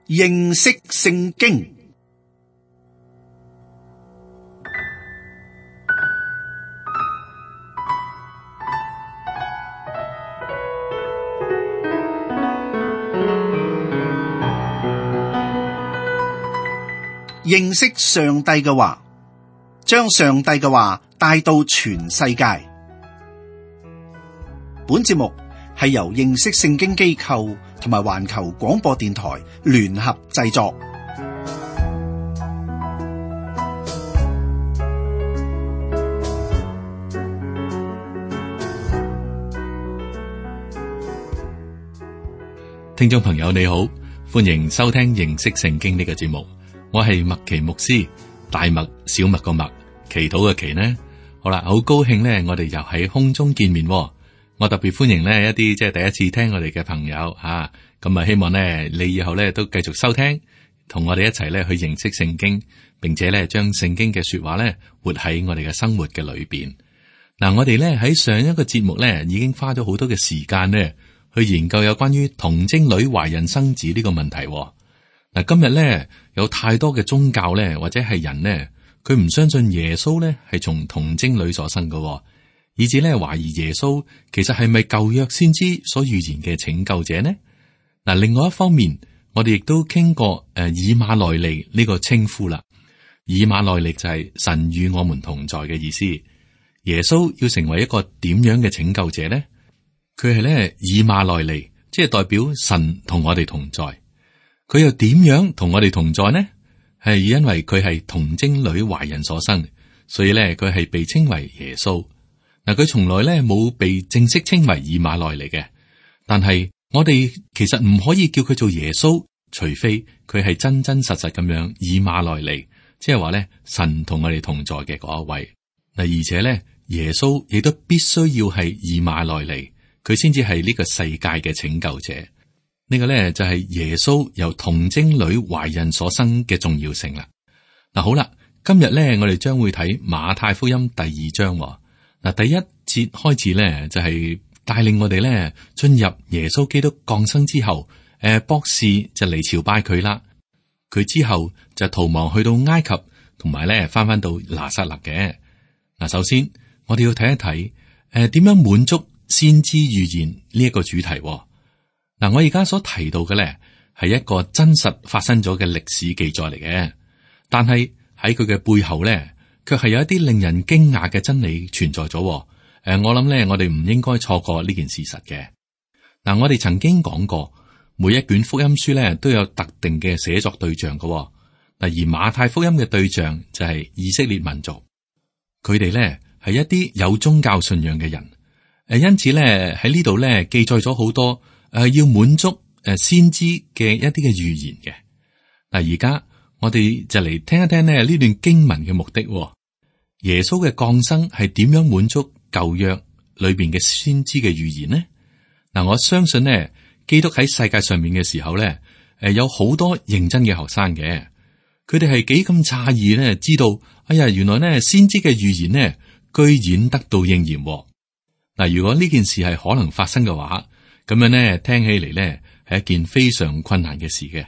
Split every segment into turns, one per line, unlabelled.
認識聖經。認識上帝嘅話，將上帝嘅話帶到全世界。本節目係由認識聖經機構同埋環球廣播電台聯合製作。
聽眾朋友你好，歡迎收聽認識聖經呢個節目。我係麥奇牧師，大麥小麥個麥，祈禱嘅祈呢。好啦，好高興呢，我哋又喺空中見面。我特別歡迎呢一啲即係第一次聽我哋嘅朋友吓，咁啊希望呢你以後呢都繼續收聽，同我哋一齊呢去認識聖經，並且呢將聖經嘅說話呢活喺我哋嘅生活嘅裏邊。嗱，我哋呢喺上一個節目呢已經花咗好多嘅時間呢去研究有關於童貞女懷孕生子呢個問題。嗱，今日咧有太多嘅宗教咧，或者係人咧，佢唔相信耶穌咧係從童貞女所生嘅，以至咧懷疑耶穌其實係咪舊約先知所預言嘅拯救者呢？嗱，另外一方面，我哋亦都傾過以馬內利呢個稱呼啦。以馬內利就係神與我們同在嘅意思。耶穌要成為一個點樣嘅拯救者呢？佢係咧以馬內利，即係代表神同我哋同在。佢又點樣同我哋同在呢？係因為佢係童貞女懷孕所生，所以咧佢係被稱為耶穌。嗱，佢從來咧冇被正式稱為以馬內利嘅，但係我哋其實唔可以叫佢做耶穌，除非佢係真真實實咁樣以馬內利，即係話咧神同我哋同在嘅嗰一位。嗱，而且咧耶穌亦都必須要係以馬內利，佢先至係呢個世界嘅拯救者。呢個咧就係耶穌由童貞女懷孕所生嘅重要性啦。嗱，好啦，今日咧我哋將會睇馬太福音第二章。嗱，第一節開始咧就係帶領我哋咧進入耶穌基督降生之後，博士就嚟朝拜佢啦。佢之後就逃亡去到埃及，同埋咧翻到拿撒勒嘅。嗱，首先我哋要睇一睇點樣滿足先知預言呢一個主題。嗱，我而家所提到嘅咧係一個真實發生咗嘅歷史記載嚟嘅，但係喺佢嘅背後咧，卻係有一啲令人驚訝嘅真理存在咗。我諗咧，我哋唔應該錯過呢件事實嘅。嗱，我哋曾經講過，每一卷福音書咧都有特定嘅寫作對象嘅。嗱，而馬太福音嘅對象就係以色列民族，佢哋咧係一啲有宗教信仰嘅人。因此咧喺呢度咧記載咗好多。要滿足先知嘅一啲嘅預言嘅。嗱，而家我哋就嚟聽一聽咧呢段經文嘅目的。耶穌嘅降生係點樣滿足舊約裏邊嘅先知嘅預言呢？嗱，我相信呢，基督喺世界上面嘅時候咧，有好多認真嘅學生嘅，佢哋係幾咁詫異呢，知道哎呀，原來呢先知嘅預言呢，居然得到應驗。嗱，如果呢件事係可能發生嘅話，咁樣咧，聽起嚟咧係一件非常困難嘅事嘅。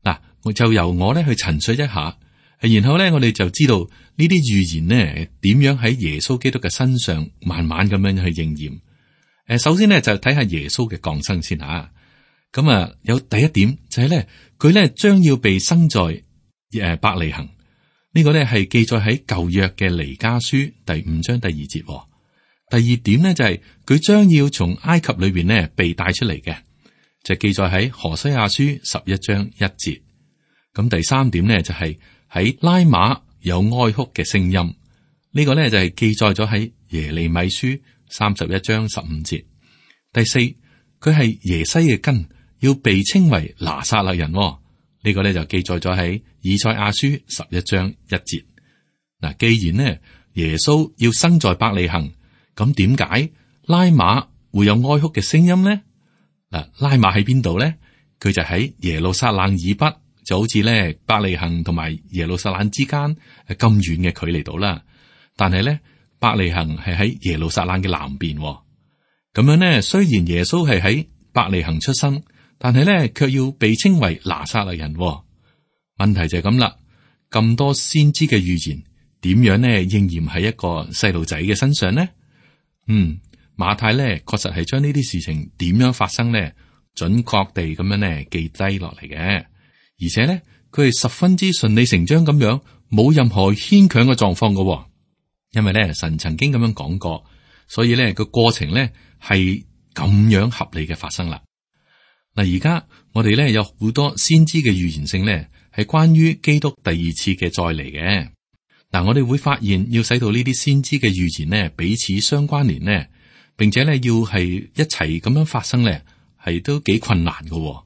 嗱，我就由我咧去陳述一下，然後咧我哋就知道呢啲預言呢點樣喺耶穌基督嘅身上慢慢咁樣去應驗。首先呢，就睇下耶穌嘅降生先吓。咁啊，有第一點就係咧，佢咧將要被生在伯利恆。呢個咧係記載喺舊約嘅彌迦書第5章第2節。第二點呢，就係佢將要從埃及裏邊呢被帶出嚟嘅，就記載喺何西阿書11章1節。咁第三點呢，就係喺拉馬有哀哭嘅聲音，呢個呢，就係記載咗喺耶利米書31章15節。第四，佢係耶西嘅根，要被稱為拿撒勒人，呢個呢，就記載咗喺以賽亞書11章1節。嗱，既然呢耶穌要生在伯利恆，咁點解拉馬會有哀哭嘅聲音呢？嗱，拉馬喺邊度咧？佢就喺耶路撒冷以北，就好似咧伯利恆同埋耶路撒冷之間咁遠嘅距離度啦。但係咧，伯利恆係喺耶路撒冷嘅南邊。咁樣咧，雖然耶穌係喺伯利恆出生，但係咧卻要被稱為拿撒勒人。問題就係咁啦，咁多先知嘅預言點樣呢應驗喺一個細路仔嘅身上呢？馬太咧確實係將呢啲事情點樣發生呢，準確地咁樣呢記低落嚟嘅，而且咧佢係十分之順理成章咁樣，冇任何牽強嘅狀況嘅。因為咧神曾經咁樣講過，所以咧個過程咧係咁樣合理嘅發生啦。嗱，而家我哋咧有好多先知嘅預言性咧，係關於基督第二次嘅再嚟嘅。嗱，我哋會發現要使到呢啲先知嘅預言呢彼此相關聯呢，並且咧要係一齊咁樣發生咧，係都幾困難嘅。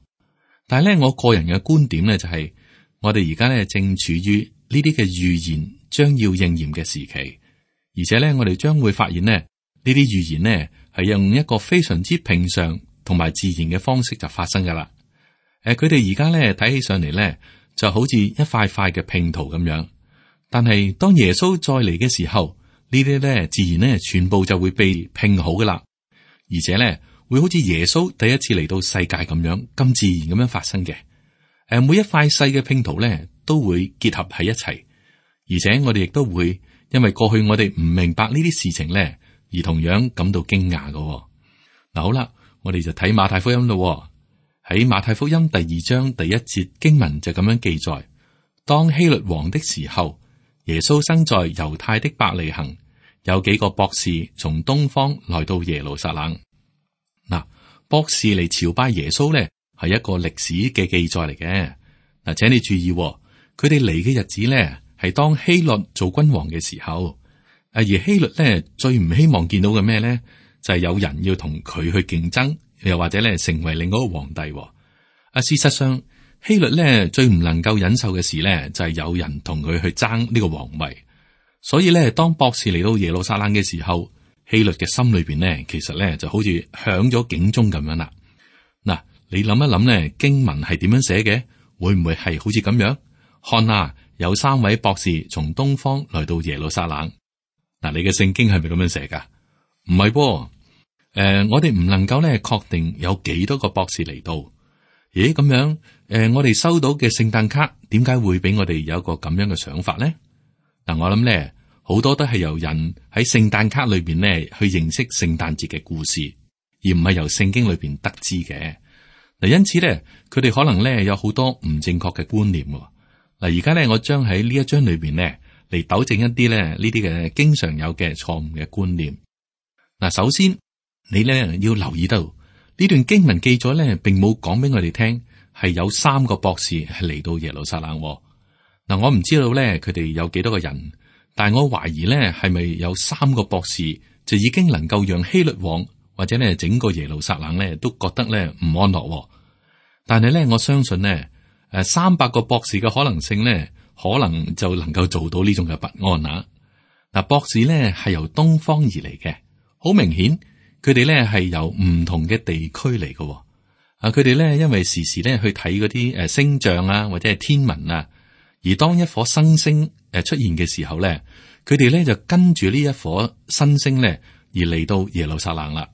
但係咧，我個人嘅觀點咧就係，我哋而家咧正處於呢啲嘅預言將要應驗嘅時期，而且咧我哋將會發現呢，呢啲預言呢係用一個非常之平常同埋自然嘅方式就發生噶啦。佢哋而家咧睇起上嚟咧就好似一塊塊嘅拼圖咁樣，但係當耶穌再嚟嘅時候，呢啲咧自然咧全部就會被拼好噶啦，而且咧會好似耶穌第一次嚟到世界咁樣咁自然咁樣發生嘅。每一塊細嘅拼圖咧都會結合喺一齊，而且我哋亦都會因為過去我哋唔明白呢啲事情咧，而同樣感到驚訝嘅。嗱，好啦，我哋就睇馬太福音咯。喺馬太福音第2章第1節經文就咁樣記載：當希律王的時候，耶穌生在猶太的伯利恆，有幾個博士從東方來到耶路撒冷。嗱，博士嚟朝拜耶穌咧，係一個歷史嘅記載嚟嘅。嗱，請你注意，佢哋嚟嘅日子咧，係當希律做君王嘅時候。而希律咧最唔希望見到嘅咩咧，就係有人要同佢去競爭，又或者咧成為另外一個皇帝。事實上，希律咧最唔能夠忍受嘅事咧，就係有人同佢去爭呢個皇位。所以咧，當博士嚟到耶路撒冷嘅時候，希律嘅心裏邊咧，其實咧就好似響咗警鐘咁樣啦。嗱，你諗一諗咧，經文係點樣寫嘅？會唔會係好似咁樣？看啊，有3位博士從東方來到耶路撒冷。嗱，你嘅聖經係咪咁樣寫噶？唔係噃。我哋唔能夠咧確定有幾多個博士嚟到。咦，咁樣我哋收到嘅聖誕卡點解會俾我哋有一個咁樣嘅想法咧？嗱，我諗咧好多都係由人喺聖誕卡裏邊咧去認識聖誕節嘅故事，而唔係由聖經裏邊得知嘅。嗱，因此咧，佢哋可能咧有好多唔正確嘅觀念。嗱，而家咧我將喺呢一章裏邊咧嚟糾正一啲咧呢啲嘅經常有嘅錯誤嘅觀念。嗱，首先你咧要留意到呢段經文記載咧，並冇講俾我哋聽係有3個博士係嚟到耶路撒冷。嗱，我唔知道咧佢哋有幾多個人，但係我懷疑咧係咪有3個博士就已經能夠讓希律王或者咧整個耶路撒冷咧都覺得咧唔安樂。但係咧我相信咧300個博士嘅可能性咧，可能就能夠做到呢種嘅不安啊。嗱，博士咧係由東方而嚟嘅，好明顯。佢哋咧係由唔同嘅地區嚟嘅。佢哋咧因為時時咧去睇嗰啲星象啊，或者係天文啊，而當一顆新星出現嘅時候咧，佢哋咧就跟住呢一顆新星咧而嚟到耶路撒冷啦。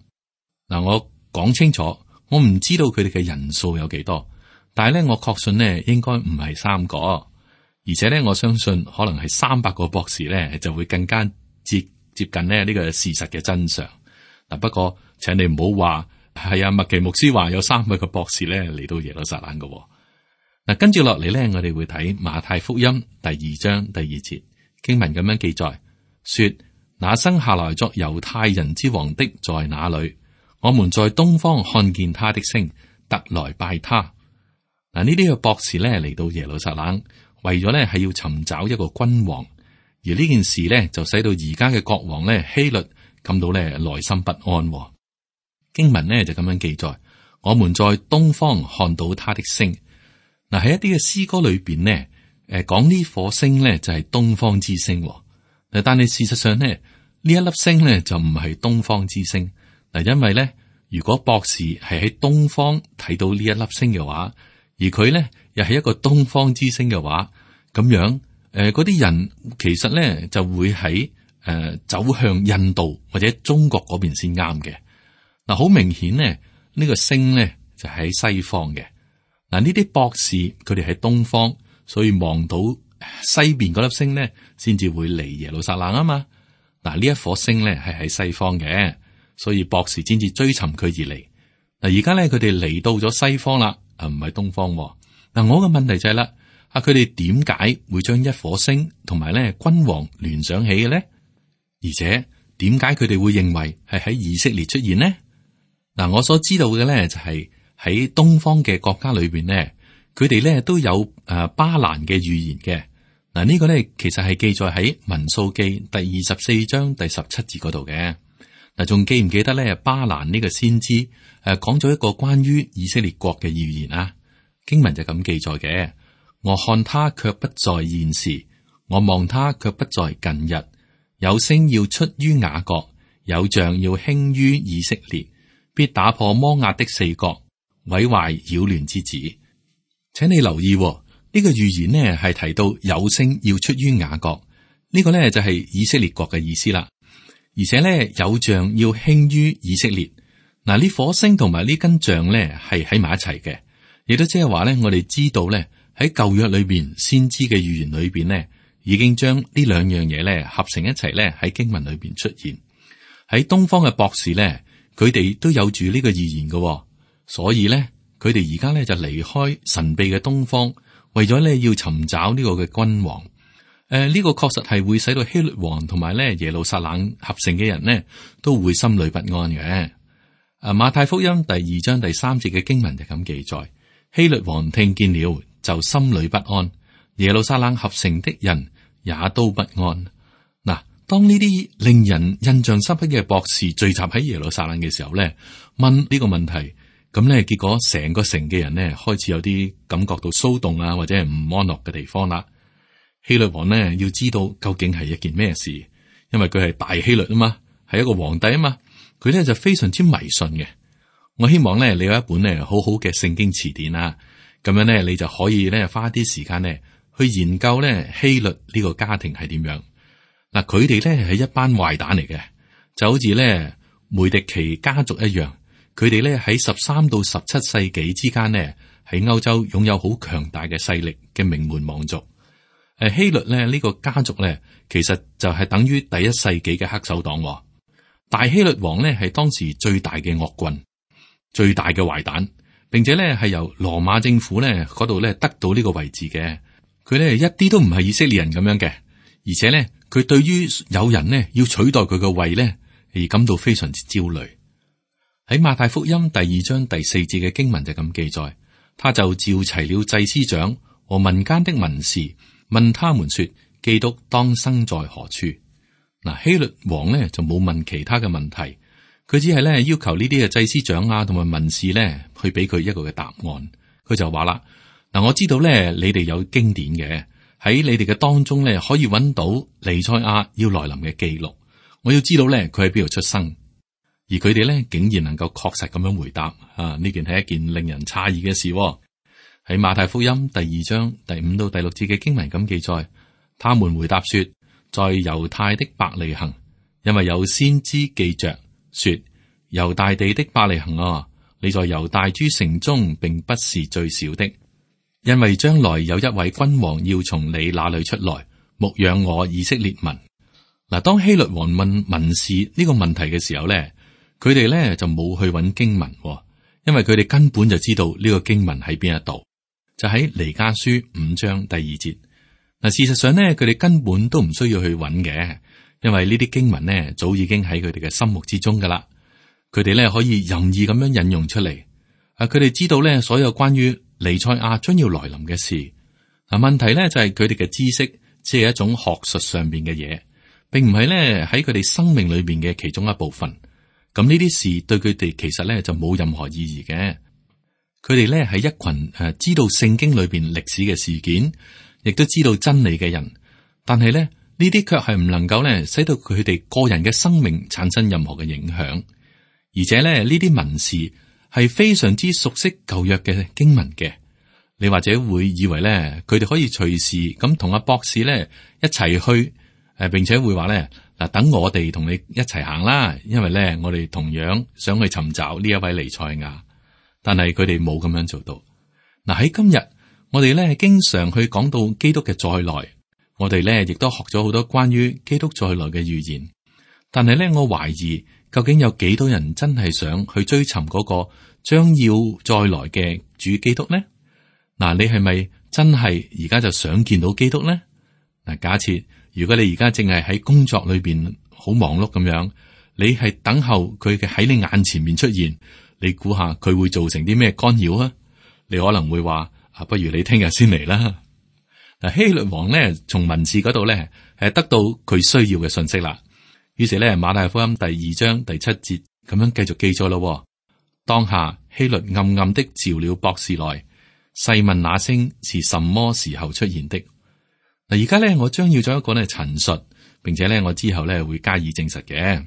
嗱，我講清楚，我唔知道佢哋嘅人數有幾多，但係咧我確信咧應該唔係3個，而且咧我相信可能係300個博士咧就會更加接近咧呢個事實嘅真相。嗱，不過請你唔好話係麥奇牧師話有300個博士咧嚟到耶路撒冷嘅。嗱，跟住落嚟咧，我哋會睇馬太福音第2章第2節經文咁樣記載，說：那生下來作猶太人之王的在哪裏？我們在東方看見他的星，特來拜他。嗱，呢啲嘅博士咧嚟到耶路撒冷，為咗咧係要尋找一個君王，而呢件事咧就使到而家嘅國王咧希律感到咧內心不安。經文呢就咁樣記載：我們在東方看到他的星。嗱，喺一啲嘅詩歌裏邊呢，講呢顆星呢就係東方之星。但係事實上呢，呢一粒星呢就唔係東方之星。嗱，因為咧，如果博士係喺東方睇到呢一粒星嘅話，而佢咧又係一個東方之星嘅話，咁樣嗰啲人其實咧就會喺走向印度或者中國嗰邊先啱嘅。嗱，好明顯咧，呢個星咧就喺西方嘅。嗱，呢啲博士佢哋喺東方，所以望到西邊嗰粒星咧，先至會嚟耶路撒冷啊嘛。嗱，呢一顆星咧係喺西方嘅，所以博士先至追尋佢而嚟。嗱，而家咧佢哋嚟到咗西方啦，唔係東方。嗱，我嘅問題就係啦，佢哋點解會將一顆星同埋咧君王聯想起嘅咧？而且點解佢哋會認為係喺以色列出現呢？嗱，我所知道嘅咧就係喺東方嘅國家裏邊咧，佢哋咧都有巴蘭嘅預言嘅。嗱，呢個咧其實係記載喺民數記第24章第17節嗰度嘅。嗱，仲記唔記得咧巴蘭呢個先知講咗一個關於以色列國嘅預言啊？經文就咁記載嘅：我看他卻不在現時，我望他卻不在近日。有星要出於雅各，有杖要興於以色列，必打破摩押的四角，毀壞擾亂之子。請你留意呢個預言呢係提到有星要出於雅各，呢個呢就係以色列國嘅意思啦。而且呢，有杖要興於以色列。嗱，呢顆星同埋呢根杖呢係喺埋一齊嘅，亦都即係話呢，我哋知道呢，喺舊約裏邊先知嘅預言裏邊呢，已經將呢兩樣嘢咧合成一齊咧喺經文裏邊出現。喺東方嘅博士咧，佢哋都有住呢個預言嘅，所以咧佢哋而家咧就離開神秘嘅東方，為咗咧要尋找呢個嘅君王。呢個確實係會使到希律王同埋咧耶路撒冷合成嘅人呢都會心裏不安嘅。馬太福音第2章第3節嘅經文就咁記載：希律王聽見了，就心裏不安；耶路撒冷合成的人也都不安。嗱，當呢啲令人印象深刻嘅博士聚集喺耶路撒冷嘅時候咧，問呢個問題，咁咧結果成個城嘅人咧開始有啲感覺到騷動啊，或者係唔安樂嘅地方啦。希律王呢要知道究竟係一件咩事，因為佢係大希律啊嘛，係一個皇帝啊嘛，佢咧就非常之迷信嘅。我希望咧你有一本咧好好嘅聖經詞典啊，咁樣咧你就可以咧花啲時間咧去研究咧希律呢個家庭係點樣。嗱，佢哋咧係一班壞蛋嚟嘅，就好似咧梅迪奇家族一樣。佢哋咧喺13到17世紀之間呢，喺歐洲擁有好強大嘅勢力嘅名門望族。希律咧呢個家族咧，其實就係等於第1世紀嘅黑手黨。大希律王咧係當時最大嘅惡棍，最大嘅壞蛋，並且咧係由羅馬政府咧嗰度咧得到呢個位置嘅。佢咧一啲都唔係以色列人咁樣嘅，而且咧佢對於有人呢要取代佢個位咧而感到非常之焦慮。喺馬太福音第2章第4節嘅經文就咁記載，他就召齊了祭司長和民間的文士，問他們說：基督當生在何處？嗱，希律王呢就冇問其他嘅問題，佢只係咧要求呢啲嘅祭司長啊同埋文士咧去俾佢一個嘅答案。佢就話啦：嗱，我知道咧你哋有經典嘅，喺你哋嘅當中咧可以揾到彌賽亞要來臨嘅記錄。我要知道咧佢喺邊度出生，而佢哋咧竟然能夠確實咁樣回答啊！呢件係一件令人詫異嘅事。喺馬太福音第2章第5到第6節嘅經文咁記載，他們回答說：在猶太的伯利恆，因為有先知記着說：猶大地的伯利恆啊，你在猶大諸城中並不是最小的，因為將來有一位君王要從你那裏出來，牧養我以色列民。嗱，當希律王問文士呢個問題嘅時候咧，佢哋咧就冇去揾經文，因為佢哋根本就知道呢個經文喺邊一度。就喺彌迦書5章第2節。嗱，事實上呢，佢哋根本都唔需要去揾嘅，因為呢啲經文呢，早已經喺佢哋嘅心目之中噶啦。佢哋咧可以任意咁樣引用出嚟。佢哋知道咧所有關於彌賽亞將要來臨嘅事。嗱，問題咧就係佢哋嘅知識只係一種學術上邊嘅嘢，並唔係咧喺佢哋生命裏邊嘅其中一部分。咁呢啲事對佢哋其實咧就冇任何意義嘅。佢哋咧係一群知道聖經裏邊歷史嘅事件，亦都知道真理嘅人，但係咧呢啲卻係唔能夠咧使到佢哋個人嘅生命產生任何嘅影響。而且咧呢啲文士係非常之熟悉舊約嘅經文嘅。你或者會以為咧佢哋可以隨時咁同阿博士咧一齊去，並且會話咧嗱，等我哋同你一齊行啦，因為咧我哋同樣想去尋找呢一位彌賽亞。但係佢哋冇咁樣做到。嗱，喺今日，我哋咧經常去講到基督嘅再來，我哋咧亦都學咗好多關於基督再來嘅預言。但係咧，我懷疑究竟有幾多人真係想去追尋嗰個將要再來嘅主基督呢？嗱，你係咪真係而家就想見到基督呢？嗱，假設如果你而家淨係喺工作裏邊好忙碌咁樣，你係等候佢嘅喺你眼前面出現，你估下佢會造成啲咩干擾啊？你可能會話不如你聽日先嚟啦。嗱，希律王呢，從文士嗰度咧係得到佢需要嘅信息啦。於是咧，馬太福音第2章第7節咁樣繼續記咗咯。當下希律暗暗的召了博士來，細問那星是什麼時候出現的。嗱，而家咧我將要做一個咧陳述，並且咧我之後咧會加以證實嘅。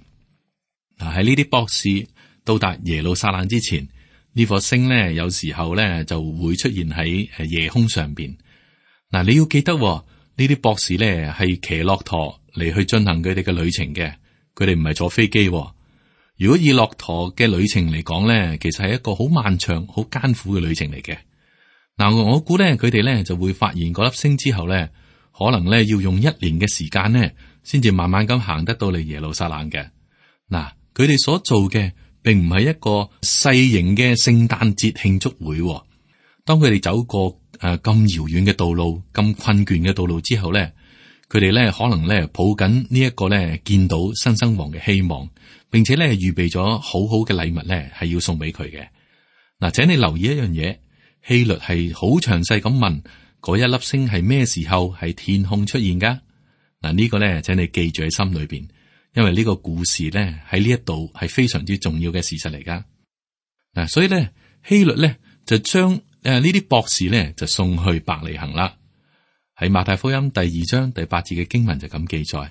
嗱，喺呢啲博士到達耶路撒冷之前，呢顆星咧有時候咧就會出現喺夜空上邊。嗱，你要記得呢啲博士咧係騎駱駝嚟去進行佢哋嘅旅程嘅，佢哋唔係坐飛機。如果以駱駝嘅旅程嚟講咧，其實係一個好漫長、好艱苦嘅旅程嚟嘅。嗱，我估咧佢哋咧就會發現嗰粒星之後咧，可能咧要用1年嘅時間咧，先至慢慢咁行得到嚟耶路撒冷嘅。嗱，佢哋所做嘅並唔係一個細型嘅聖誕節慶祝會。當佢哋走過咁遙遠嘅道路、咁困倦嘅道路之後咧，佢哋咧可能咧抱緊呢一個咧見到新生王嘅希望，並且咧預備咗好好嘅禮物咧係要送俾佢嘅。嗱，請你留意一樣嘢，希律係好詳細咁問嗰一粒星係咩時候喺天空出現噶。嗱，呢個咧請你記住喺心裏邊，因為呢個故事咧喺呢一度係非常之重要嘅事實嚟噶。嗱，所以咧希律咧就將呢啲博士咧就送去伯利恆啦。喺馬太福音第2章第8節嘅經文就咁記載，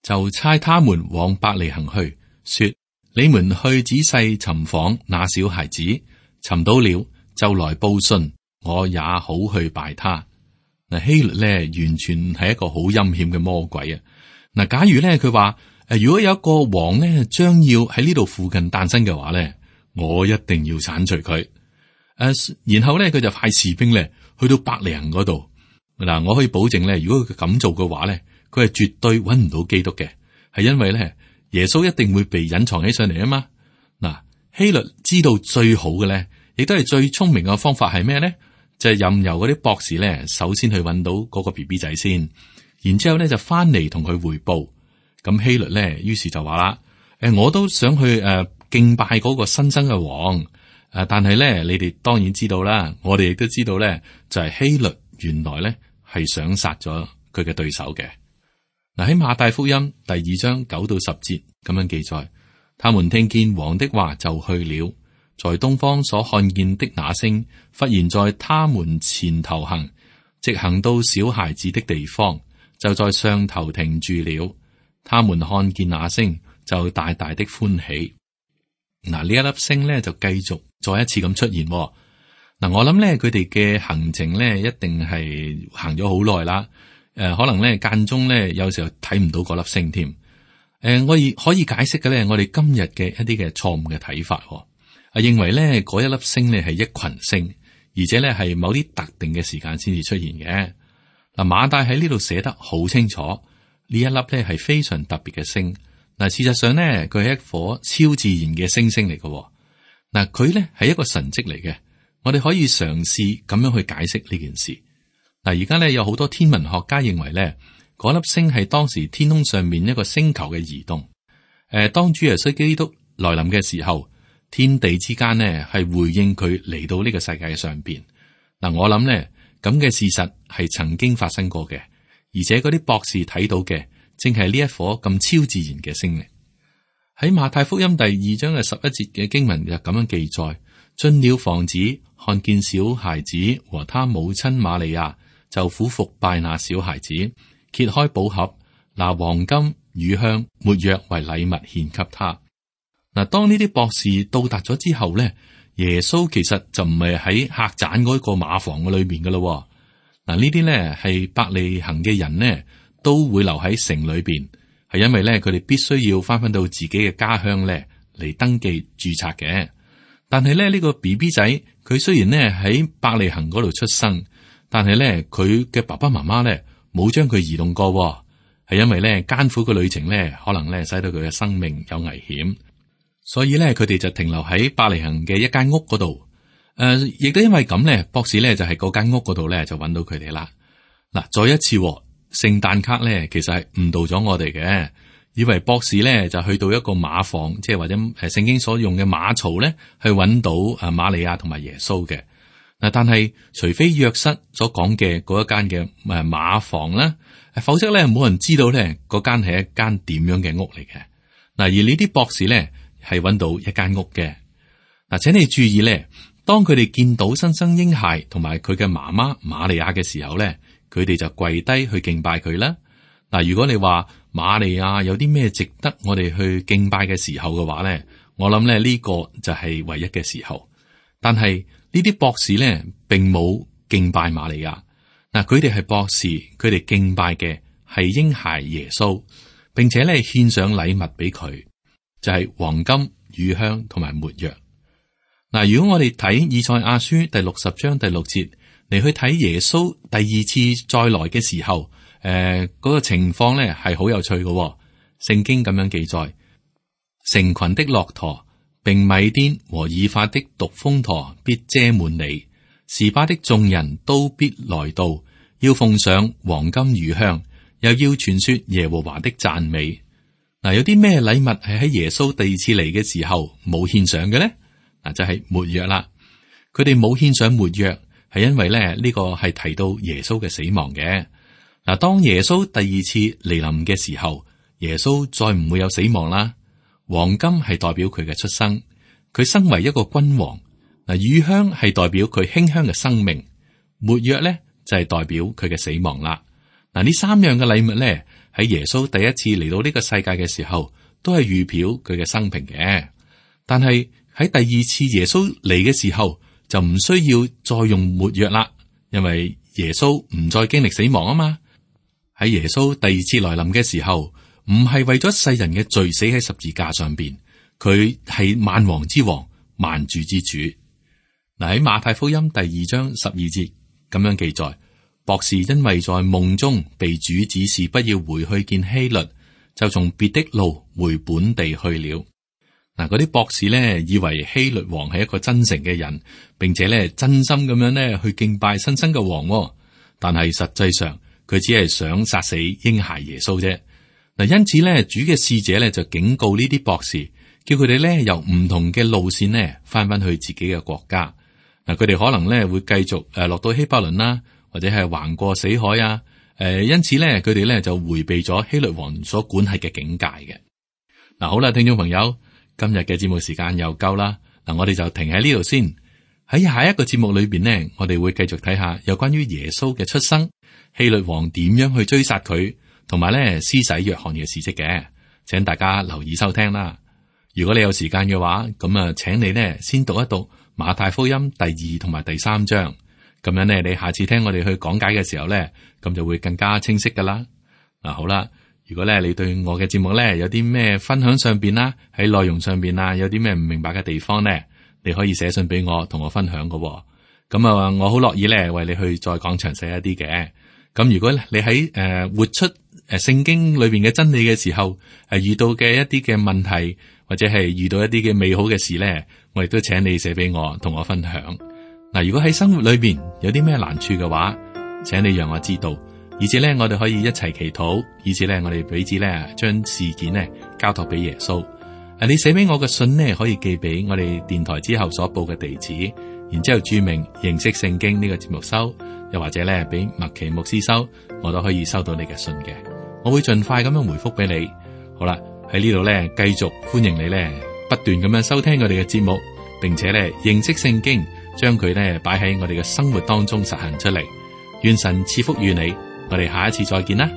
就差他們往伯利恆去，說：你們去仔細尋訪那小孩子，尋到了就來報信，我也好去拜他。嗱，希律咧完全係一個好陰險嘅魔鬼啊！嗱，假如咧佢話如果有一個王咧將要喺呢度附近誕生嘅話咧，我一定要鏟除佢。然後咧佢就派士兵咧去到伯利恆嗰度。嗱，我可以保證咧，如果佢咁做嘅話咧，佢係絕對揾唔到基督嘅，係因為咧耶穌一定會被隱藏起上嚟啊嘛。嗱，希律知道最好嘅咧，亦都係最聰明嘅方法係咩咧？就係任由嗰啲博士咧，首先去揾到嗰個 BB 仔先，然之後咧就翻嚟同佢匯報。咁希律咧，於是就話啦：我都想去敬拜嗰個新生嘅王。但係咧，你哋當然知道啦，我哋亦都知道咧，就係希律原來咧係想殺咗佢嘅對手嘅。嗱，喺馬太福音第2章9到10節咁樣記載，他們聽見王的話就去了，在東方所看見的那星，忽然在他們前頭行，直行到小孩子的地方，就在上頭停住了。他們看見那星，就大大的歡喜。嗱，呢一粒星咧就繼續再一次咁出現。嗱，我諗咧佢哋嘅行程咧一定係行咗好耐啦。可能咧間中咧有時候睇唔到嗰粒星添。我可以解釋嘅咧，我哋今日嘅一啲嘅錯誤嘅睇法，認為咧嗰一粒星咧係一群星，而且咧係某啲特定嘅時間先至出現嘅。嗱，馬太喺呢度寫得好清楚，呢一粒咧係非常特別嘅星。嗱，事實上咧，佢係一顆超自然嘅星星嚟嘅。嗱，佢咧係一個神蹟嚟嘅。我哋可以嘗試咁樣去解釋呢件事。嗱，而家咧有好多天文學家認為咧，嗰粒星係當時天空上面一個星球嘅移動。當主耶穌基督來臨嘅時候，天地之間呢係回應佢嚟到呢個世界上邊。嗱，我諗咧咁嘅事實係曾經發生過嘅，而且嗰啲博士睇到嘅，正係呢一顆咁超自然嘅星嚟。喺馬太福音第2章嘅11節嘅經文就咁樣記載：進了房子，看見小孩子和他母親瑪利亞，就俯伏拜那小孩子，揭開寶盒，拿黃金、乳香、沒藥為禮物獻給他。嗱，當呢啲博士到達咗之後咧，耶穌其實就唔係喺客棧嗰個馬房嘅裏面噶咯。嗱，呢啲咧係伯利恆嘅人呢，都會留喺城裏邊，係因為咧佢哋必須要翻到自己嘅家鄉咧嚟登記註冊嘅。但係咧呢個 BB 仔，佢雖然咧喺伯利恆嗰度出生，但係咧佢嘅爸爸媽媽咧冇將佢移動過，係因為咧艱苦嘅旅程咧可能咧使到佢嘅生命有危險，所以咧佢哋就停留喺伯利恆嘅一間屋嗰度。亦都因為咁咧，博士咧就喺嗰間屋嗰度咧就揾到佢哋啦。嗱，再一次聖誕卡咧，其實係誤導咗我哋嘅。以為博士咧就去到一個馬房，即係或者聖經所用嘅馬槽咧，去揾到瑪利亞同埋耶穌嘅。嗱，但係除非約瑟所講嘅嗰一間嘅馬房啦，否則咧冇人知道咧嗰間係一間點樣嘅屋嚟嘅。嗱，而呢啲博士咧係揾到一間屋嘅。嗱，請你注意咧，當佢哋見到新生嬰孩同埋佢嘅媽媽瑪利亞嘅時候咧，佢哋就跪低去敬拜佢啦。嗱，如果你話瑪利亞有啲咩值得我哋去敬拜嘅時候嘅話咧，我諗咧呢個就係唯一嘅時候。但係呢啲博士咧並冇敬拜瑪利亞。嗱，佢哋係博士，佢哋敬拜嘅係嬰孩耶穌，並且咧獻上禮物俾佢，就係黃金、乳香同埋沒藥。嗱，如果我哋睇以賽亞書第60章第6節嚟去睇耶穌第二次再來嘅時候，嗰個情況咧係好有趣嘅。聖經咁樣記載：成群的駱駝，並米甸和以法的獨峰駝必遮滿你，示巴的眾人都必來到，要奉上黃金乳香，又要傳說耶和華的讚美。嗱，有啲咩禮物係喺耶穌第二次嚟嘅時候冇獻上嘅咧？嗱，就係沒藥啦。佢哋冇獻上沒藥，係因為咧呢個係提到耶穌嘅死亡嘅。嗱，當耶穌第二次嚟臨嘅時候，耶穌再唔會有死亡啦。黃金係代表佢嘅出生，佢身為一個君王。嗱，乳香係代表佢馨香嘅生命，沒藥咧就係代表佢嘅死亡啦。嗱，呢三樣嘅禮物咧喺耶穌第一次嚟到呢個世界嘅時候，都係預表佢嘅生平嘅。但係喺第二次耶穌嚟嘅時候，就唔需要再用沒藥啦，因為耶穌唔再經歷死亡啊嘛。喺耶穌第二次來臨嘅時候，唔係為咗世人嘅罪死喺十字架上邊，佢係萬王之王、萬主之主。嗱，喺馬太福音第2章12節咁樣記載，博士因為在夢中被主指示不要回去見希律，就從別的路回本地去了。嗱，嗰啲博士咧以為希律王係一個真誠嘅人，並且咧真心咁樣咧去敬拜新生嘅王，但係實際上佢只係想殺死嬰孩耶穌啫。嗱，因此咧主嘅使者咧就警告呢啲博士，叫佢哋咧由唔同嘅路線咧翻去自己嘅國家。嗱，佢哋可能咧會繼續落到希伯倫啦，或者係橫過死海啊。因此咧佢哋咧就回避咗希律王所管轄嘅境界嘅。嗱，好啦，聽眾朋友，今日嘅節目時間又夠啦。嗱，我哋就停喺呢度先。喺下一個節目裏邊呢，我哋會繼續睇下有關於耶穌嘅出生，希律王點樣去追殺佢，同埋咧施洗約翰嘅事跡嘅。請大家留意收聽啦。如果你有時間嘅話，咁啊，請你呢先讀一讀馬太福音第2同埋第3章。咁樣呢，你下次聽我哋去講解嘅時候呢，咁就會更加清晰噶啦。嗱，好啦，如果咧你對我嘅節目呢有啲咩分享上邊啦，喺內容上邊啊有啲咩唔明白嘅地方呢，你可以寫信俾我，同我分享噶。咁啊，我好樂意咧為你去再講詳細一啲嘅。咁如果你喺活出聖經裏邊嘅真理嘅時候，遇到嘅一啲嘅問題，或者係遇到一啲嘅美好嘅事咧，我亦都請你寫俾我，同我分享。嗱，如果喺生活裏邊有啲咩難處嘅話，請你讓我知道，以至咧我哋可以一齊祈禱，以至咧我哋彼此咧將事件咧交託俾耶穌。你寫俾我嘅信呢，可以寄俾我哋電台之後所報嘅地址，然之後注明認識聖經呢個節目收，又或者咧俾麥奇牧師收，我都可以收到你嘅信嘅。我會盡快咁樣回覆俾你。好啦，喺呢度咧繼續歡迎你咧不斷咁樣收聽我哋嘅節目，並且咧認識聖經，將佢咧擺喺我哋嘅生活當中實行出嚟。願神賜福於你，我哋下一次再見啦。